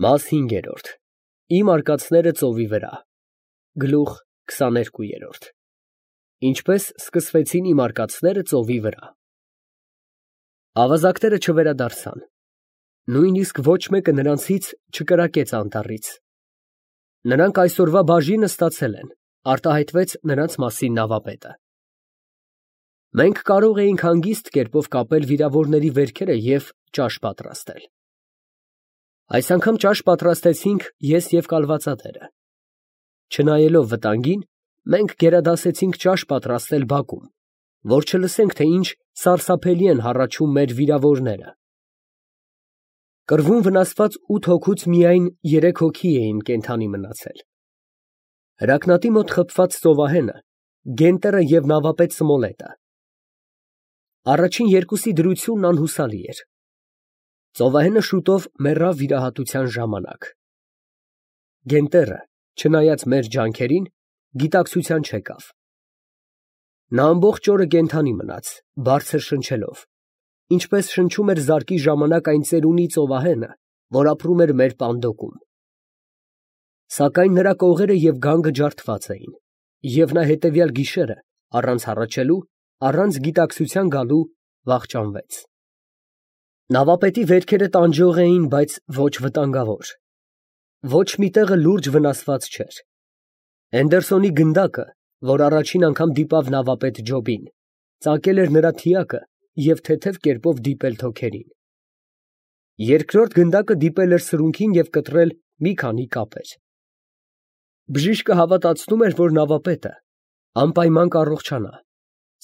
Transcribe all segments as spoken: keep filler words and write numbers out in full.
Մաս հինգերորդ. Իմ արկածները ծովի վրա, գլուխ քսաներկու։ Ինչպես սկսվեցին իմ արկածները ծովի վրա։ Ավազակները չվերադարձան, նույնիսկ ոչ մեկը նրանցից չկրակեց անտառից։ Նրանք այսօրվա բաժինը ստացել են, արտահայտվեց նրանց մասին նավապետը։ Մենք կարող էինք հանգիստ կերպով կապել վիրավորների վերքերը և ճաշ պատրաստել։ Այս անգամ ճաշ պատրաստեցինք ես և կալվածատերը։ Չնայելով վտանգին, մենք գերադասեցինք ճաշ պատրաստել բակում, որ չլսենք, թե ինչ սարսափելի են հառաչում մեր վիրավորները։ Կռվում վնասված ութ հոգուց միայն երեք հոգի էին կենդանի մնացել։ Հրակնատի մոտ խփված ծովահենը, Գենտերը և նավապետ Սմոլետը։ Առաջին երկուսի դրությունն անհուսալի էր։ Ծովահենը շուտով մեռավ վիրահատության ժամանակ։ Գենտերը, չնայած մեր ջանքերին, գիտակցության չեկավ։ Նա ամբողջ օրը կենդանի մնաց, բարձր շնչելով, ինչպես շնչում էր զարկի ժամանակ այն ծերունի ծովահենը, որ ապրում էր մեր պանդոկում։ Սակայն նրա կողերը և գանգը ջարդված էին, և նա հետևյալ գիշերը, առանց հառաչելու, առանց գիտակցության գալու, վախճանվեց։ Նավապետի վերքերը տանջող էին, բայց ոչ վտանգավոր։ Ոչ մի տեղը լուրջ վնասված չէր։ Հենդերսոնի գնդակը, որ առաջին անգամ դիպավ նավապետ Ջոբին, ծակել էր նրա թիակը և թեթև կերպով դիպել թոքերին։ Երկրորդ գնդակը դիպել էր սրունքին և կտրել մի քանի կապեր։ Բժիշկը հավատացնում էր, որ նավապետը անպայման կառողջանա,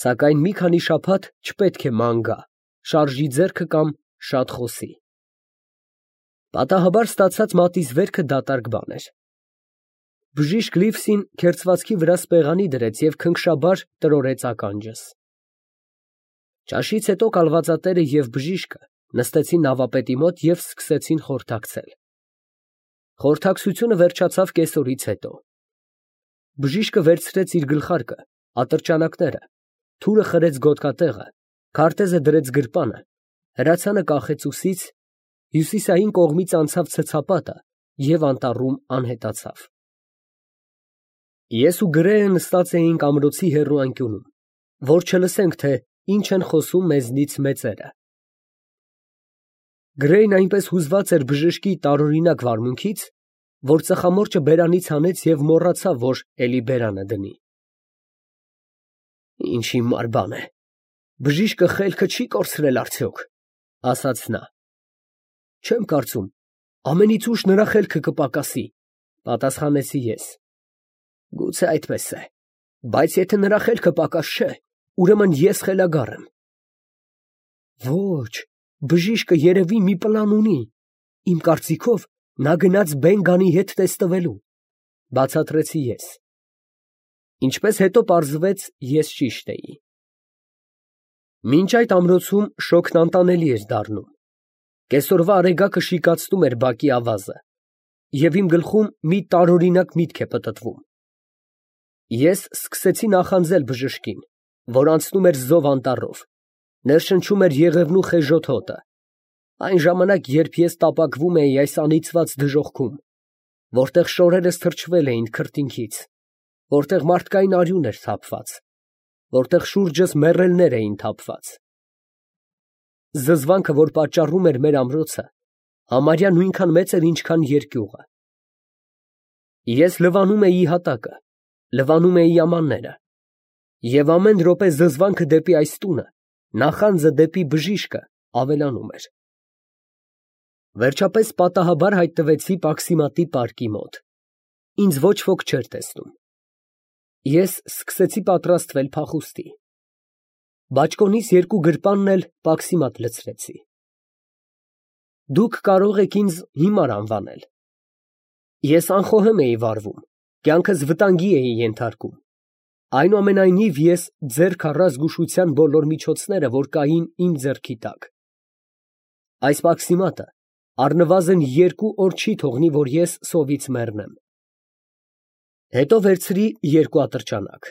սակայն մի քանի շաբաթ չպետք է ման գա, շարժի ձեռքը կամ շատ խոսի։ Պատահաբար ստացած մատիզվերքը դատարկ բան էր։ Բժիշկ Լիվսին քերծվածքի վրա սպեղանի դրեց և քնքշաբար տրորեց ականջս։ Ճաշից հետո կալվածատերը և բժիշկը նստեցին նավապետի մոտ և սկսեցին խորհրդակցել։ Խորհրդակցությունը վերջացավ կեսօրից հետո։ Բժիշկը վերցրեց իր գլխարկը, ատրճանակները, թուրը խրեց գոտկատեղը, քարտեզը դրեց գրպանը, հրացանը կախեց ուսից, հյուսիսային կողմից անցավ ցցապատը և անտառում անհետացավ։ Ես ու Գրեյը նստած էինք ամրոցի հեռու անկյունում, որ չլսենք, թե ինչ են խոսում մեզնից մեծերը։ Գրեյն այնպես հուզված էր բժշկի տարօրինակ վարմունքից, որ ծխամորճը բերանից հանեց և մոռացավ, որ էլի բերանը դնի։ Ինչ հիմար բան է, բժիշկը խելքը չի կորցրել արդյոք, ֊ ասաց նա։ Չեմ կարծում, ամենից ուշ նրա խելքը կպակասի, ֊ պատասխանեցի ես։ Գուցե այդպես է, բայց եթե նրա խելքը պակաս չէ, ուրեմն ես խելագար եմ։ Ոչ, բժիշկը երևի մի պլան ունի, իմ կարծիքով, նա գնաց Բեն֊Գանի հետ տեսնվելու, ֊ բացատրեցի ես։ Ինչպես հետո պարզվեց, ես ճիշտ էի։ Մինչ այդ ամրոցում շոգն անտանելի էր դառնում։ Կեսօրվա արեգակը շիկացնում էր բակի ավազը, և իմ գլխում մի տարօրինակ միտք է պտտվում։ Ես սկսեցի նախանձել բժշկին, որ անցնում էր Զով անտառով, ներշնչում էր Եղևնու խեժոտ հոտը, այն ժամանակ, երբ ես տապակվում էի այս անիծված դժոխքում, որտեղ շորերս թրջվել էին քրտինքից, որտեղ մարդկային արյուն էր թափված, որտեղ շուրջս մեռելներ էին թափված։ Զզվանքը, որ պատճառում էր մեր ամրոցը, համարյա նույնքան մեծ էր, ինչքան երկյուղը։ Ես լվանում էի հատակը, լվանում էի ամանները, և ամեն րոպե զզվանքը դեպի այս տունը, նախանձը դեպի բժիշկը ավելանում էր։ Վերջապես պատահաբար հայտնվեցի Պաքսիմատի պարկի մոտ։ Ինձ ոչ ոք չէր տեսնում։ Ես սկսեցի պատրաստվել փախուստի։ Բաճկոնիս երկու գրպանն էլ Պաքսիմատ լցրեցի։ Դուք կարող եք ինձ հիմար անվանել։ Ես անխոհեմ էի վարվում, կյանքս վտանգի էի ենթարկում։ Այնուամենայնիվ ես ձեռք առա զգուշության բոլոր միջոցները, որ կային իմ ձեռքի տակ։ Այս Պաքսիմատը առնվազն երկու օր չի թողնի, որ ես սովից մեռնեմ։ Հետո վերցրի երկու ատրճանակ։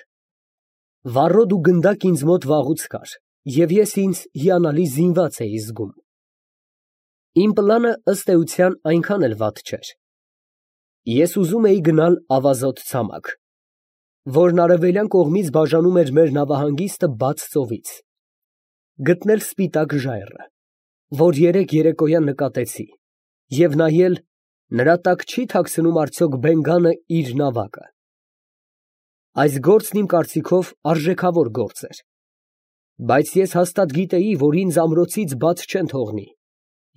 Վառոդ ու գնդակ ինձ մոտ վաղուց կար, և ես ինձ հիանալի զինված էի զգում։ Իմ պլանը ըստ էության այնքան էլ վատ չէր։ Ես ուզում էի գնալ ավազոտ ցամաք, որն արևելյան կողմից բաժանում էր մեր նավահանգիստը բաց ծովից, գտնել սպիտակ ժայռը, որ երեկ երեկոյան նկատեցի, և նայել նրա տակ չի թաքցնում արդյոք Բենգանը իր նավակը։ Այս գործն իմ կարծիքով արժեքավոր գործ էր, բայց ես հաստատ գիտեի, որ ինձ ամրոցից բաց չեն թողնի,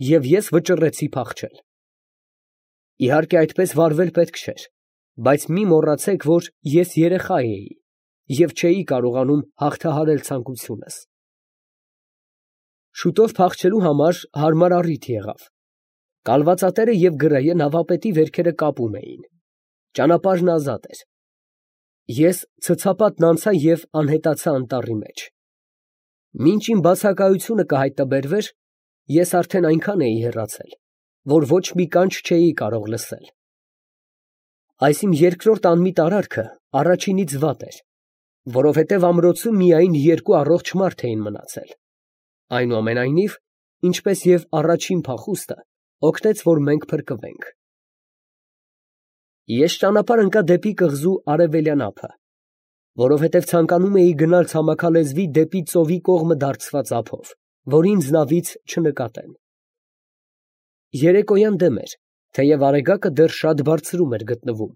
և ես վճռեցի փախչել։ Իհարկե այդպես վարվել պետք չէր, բայց մի մոռացեք, որ ես երեխա էի և չէի կարողանում հաղթահարել ցանկությունս։ Շուտով փախչելու համար հարմար առիթ եղավ։ Կալվածատերը և գրեը նավապետի վերքերը կապում էին։ Ճանապարհն ազատ էր։ Ես ցցապատն անցա և անհետացա անտառի մեջ։ Մինչ իմ բացակայությունը կհայտնաբերվեր, ես արդեն այնքան էի հեռացել, որ ոչ մի կանչ չէի կարող լսել։ Այս իմ երկրորդ անմիտ արարքը առաջինից վատ էր, որովհետև ամրոցում միայն երկու առողջ մարդ էին մնացել։ Այնուամենայնիվ, ինչպես և առաջին փախուստը, օգնեց, որ մենք փրկվենք։ Ես ճանապարհ ընկա դեպի կղզու արևելյան ափը, որովհետև ցանկանում էի գնալ ցամաքալեզվի դեպի ծովի կողմը դարձված ափով, որ ինձ նավից չնկատեն։ Երեկոյան դեմ էր, թեև արեգակը դեռ շատ բարձրում էր գտնվում։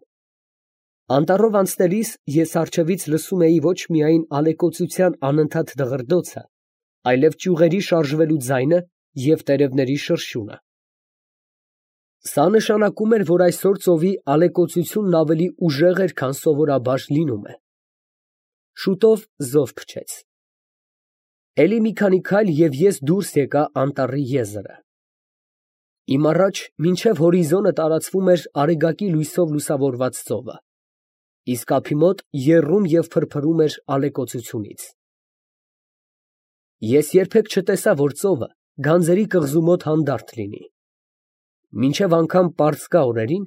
Անտառով անցնելիս ես առջևից լսում էի ոչ միայն ալեկոծության անընդհատ դղրդոցը, այլև ճյուղերի շարժվելու ձայնը և տերևների շրշյունը։ Սա նշանակում էր, որ այսօր ծովի ալեկոծությունն ավելի ուժեղ էր, քան սովորաբար լինում է։ Շուտով զով փչեց։ Էլի մի քանի քայլ և ես դուրս եկա անտառի եզրը։ Իմ առաջ մինչև հորիզոնը տարածվում էր արեգակի լույսով լուսավորված ծովը, իսկ ափի մոտ եռում և փրփրում էր ալեկոծությունից։ Ես երբեք չտեսա, որ ծովը գանձերի կղզու մոտ հանդարտ լինի։ Մինչև անգամ պարսկա օրերին,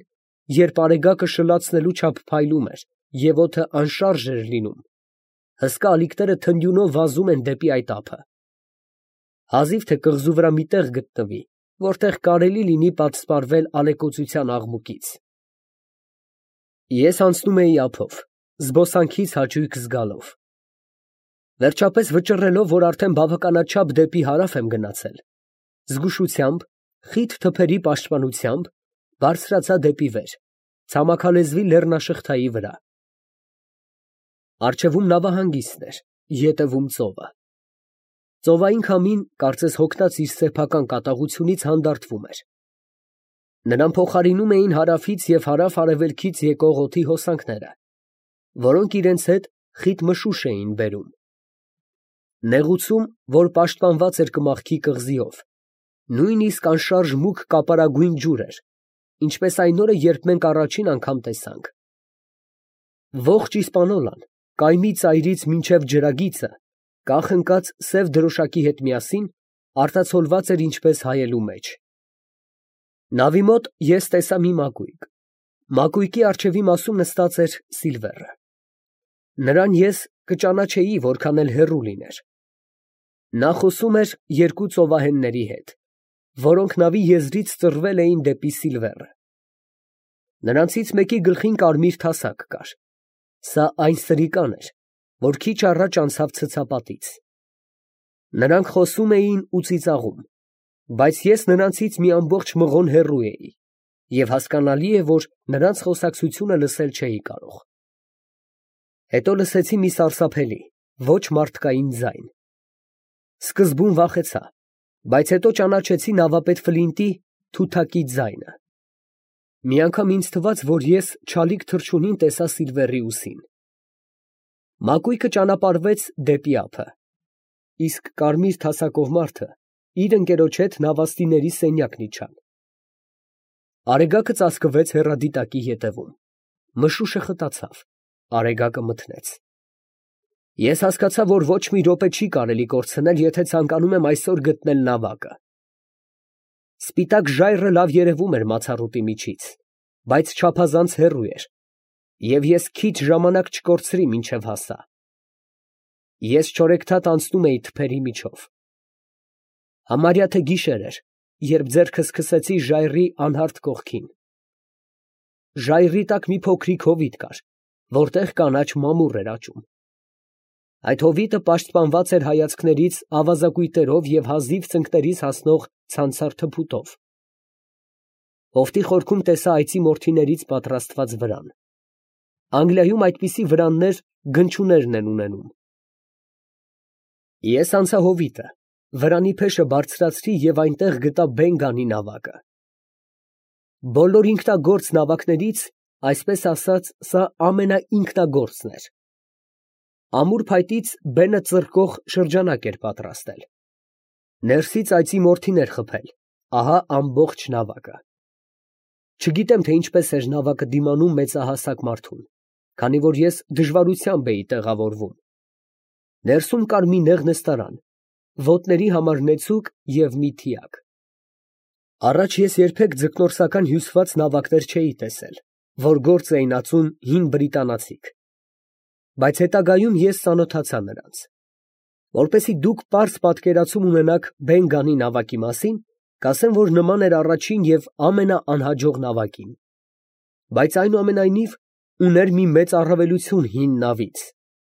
երբ արեգակը շլացնելու չափ փայլում էր և օդը անշարժ էր լինում, հսկա ալիքները թնդյունով վազում են դեպի այդ ափը։ Հազիվ թե կղզու վրա մի տեղ գտնվի, որտեղ կարելի լինի պատսպարվել ալեկոծության աղմուկից։ Ես անցնում էի ափով, զբոսանքից հաճույք զգալով։ Վերջապես վճռելով, որ արդեն բավականաչափ դեպի հարավ եմ գնացել, զգուշությամբ, խիտ թփերի պաշտպանությամբ, բարձրացա դեպի վեր, ցամաքալեզվի լեռնաշղթայի վրա։ Առջևում նավահանգիստն էր, ետևում ծովը։ Ծովային քամին, կարծես հոգնած իր սեփական կատաղությունից, հանդարտվում էր։ Նրան փոխարինում էին հարավից և հարավ֊արևելքից եկող օդի հոսանքները, որոնք իրենց հետ խիտ մշուշ էին բերում։ Նեղուցում, որ պաշտպանված էր կմախքի կղզիով, նույնիսկ անշարժ մուգ կապարագույն ջուր էր, ինչպես այն օրը, երբ մենք առաջին անգամ տեսանք։ Ողջ Իսպանոլան, կայմի ծայրից մինչև ջրագիծը, կախ ընկած սև դրոշակի հետ միասին, արտացոլված էր ինչպես հայելու մեջ։ Նավի մոտ ես տեսա մի մակույկ։ Մակույկի առջևի մասում նստած էր Սիլվերը։ Նրան ես կճանաչեի, որքան էլ հեռու լիներ։ Նա խոսում էր երկու ծովահենների հետ, որոնք նավի եզրից ծռվել էին դեպի Սիլվերը։ Նրանցից մեկի գլխին կարմիր թասակ կար։ Սա այն սրիկան էր, որ քիչ առաջ անցավ ցցապատից։ Նրանք խոսում էին ու ծիծաղում, բայց ես նրանցից մի ամբողջ մղոն հեռու էի, և հասկանալի է, որ նրանց խոսակցությունը լսել չէի կարող։ Հետո լսեցի մի սարսափելի, ոչ մարդկային ձայն։ Սկզբում վախեցա, բայց հետո ճանաչեցի նավապետ Ֆլինտի թութակի ձայնը։ Մի անգամ ինձ թվաց, որ ես չալիք թռչունին տեսա Սիլվերի ուսին։ Մակույկը ճանապարհվեց դեպի ափը, իսկ կարմիր թասակով մարդը իր ընկերոջ հետ նավաստիների սենյակն իջան։ Արեգակը ծածկվեց հեռադիտակի ետևում, մշուշը խտացավ, արեգակը մթնեց։ Ես հասկացա, որ ոչ մի րոպե չի կարելի կորցնել, եթե ցանկանում եմ այսօր գտնել նավակը։ Սպիտակ ժայռը լավ երևում էր մացառուտի միջից, բայց չափազանց հեռու էր, և ես քիչ ժամանակ չկորցրի, մինչև հասա։ Ես չորեքթաթ անցնում էի թփերի միջով։ Համարյա թե գիշեր էր, երբ ձեռքս քսեցի ժայռի անհարթ կողքին։ Ժայռի տակ մի փոքրիկ հովիտ կար, որտեղ կանաչ մամուռ էր աճում։ Այդ հովիտը պաշտպանված էր հայացքներից ավազակույտերով և հազիվ ծնկներից հասնող ցանցառ թփուտով։ Հովտի խորքում տեսա այծի մորթիներից պատրաստված վրան։ Անգլիայում այդպիսի վրաններ գնչուներն են ունենում։ Ես անցա հովիտը, վրանի փեշը բարձրացրի և այնտեղ գտա Բեն֊Գանի նավակը։ Բոլոր ինքնագործ նավակներից, այսպես ասած, սա ամենաինքնագործն էր։ Ամուր փայտից բենը ծռկող շրջանակ էր պատրաստել։ Ներսից այծի մորթին էր խփել, ահա ամբողջ նավակը։ Չգիտեմ, թե ինչպես էր նավակը դիմանում մեծահասակ մարդուն, քանի որ ես դժվարությամբ էի տեղավորվում։ Ներսում կար մի նեղ նստարան, ոտների համար նեցուկ և մի թիակ։ Առաջ ես երբեք ձկնորսական հյուսված նավակներ չէի տեսել, որ գործ էին ածում հին բրիտանացիք, բայց հետագայում ես ծանոթացա նրանց։ Որպեսզի դուք պարզ պատկերացում ունենաք Բեն֊Գանի նավակի մասին, կասեմ, որ նման էր առաջին և ամենաանհաջող նավակին, բայց այնուամենայնիվ ուներ մի մեծ առավելություն հին նավից,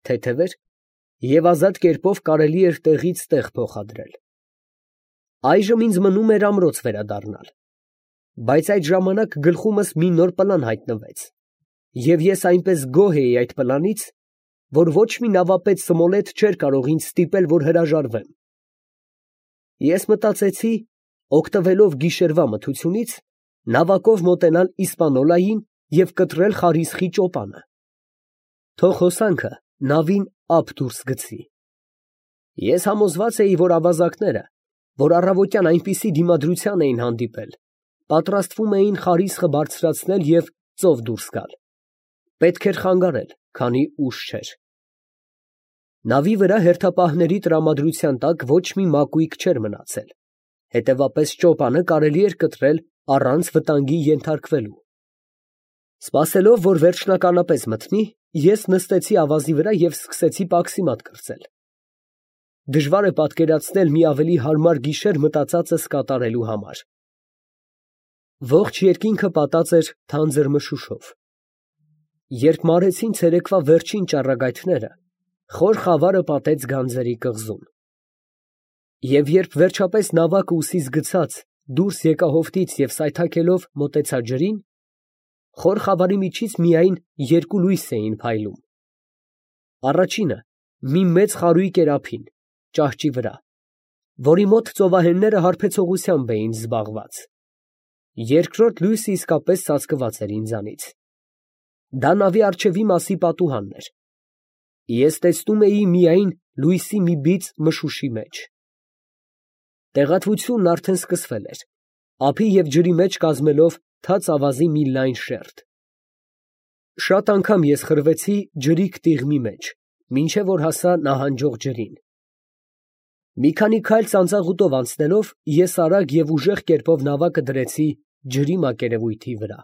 թեթև էր և ազատ կերպով կարելի էր տեղից տեղ փոխադրել։ Այժմ ինձ մնում էր ամրոց վերադառնալ, բայց այդ ժամանակ գլխումս մի նոր պլան հայտնվեց, և ես այնպես գոհ էի այդ պլանից, որ ոչ մի նավապետ Սմոլեթ չէր կարող ինձ ստիպել, որ հրաժարվեմ։ Ես մտածեցի, օգտվելով գիշերվա մթությունից, նավակով մոտենալ Իսպանիոլային և կտրել Խարիսխի ճոպանը։ Թող հոսանքը նավին ափ դուրս գցի։ Ես համոզված էի, որ ավազակները, որ առավոտյան այնպիսի դիմադրության էին հանդիպել, պատրաստվում էին Խարիսխը բարձրացնել և ծով դուրս գալ։ Պետք էր խանգարել, քանի ուշ չէր։ Նավի վրա հերթապահների տրամադրության տակ ոչ մի մակույկ չէր մնացել, հետևապես ճոպանը կարելի էր կտրել առանց վտանգի ենթարկվելու։ Սպասելով, որ վերջնականապես մթնի, ես նստեցի ավազի վրա և սկսեցի պաքսիմատ կրծել։ Դժվար է պատկերացնել մի ավելի հարմար գիշեր մտածածս կատարելու համար։ Ողջ երկինքը պատած էր թանձր մշուշով։ Երբ մարեցին ցերեկվա վերջին ճառագայթները, խոր խավարը պատեց գանձերի կղզում։ Եվ երբ վերջապես նավակը ուսիս գցած դուրս եկա հովտից և սայթաքելով մոտեցա ջրին, խոր խավարի միջից միայն երկու լույս էին փայլում։ Առաջինը մի մեծ խարույկ էր ափին, ճահճի վրա, որի մոտ ծովահենները հարբեցողությամբ էին զբաղված։ Երկրորդ լույսը իսկապես ծածկված էր ինձանից։ Դա նավի առջևի մասի պատուհանն էր։ Ես տեսնում էի միայն լույսի մի բիծ մշուշի մեջ։ Տեղատվությունն արդեն սկսվել էր, ափի և ջրի մեջ կազմելով թաց ավազի մի լայն շերտ։ Շատ անգամ ես խրվեցի ջրիկ տիղմի մեջ, մինչև որ հասա նահանջող ջրին։ Մի քանի քայլ ծանծաղուտով անցնելով, ես արագ և ուժեղ կերպով նավակը դրեցի ջրի մակերևույթի վրա։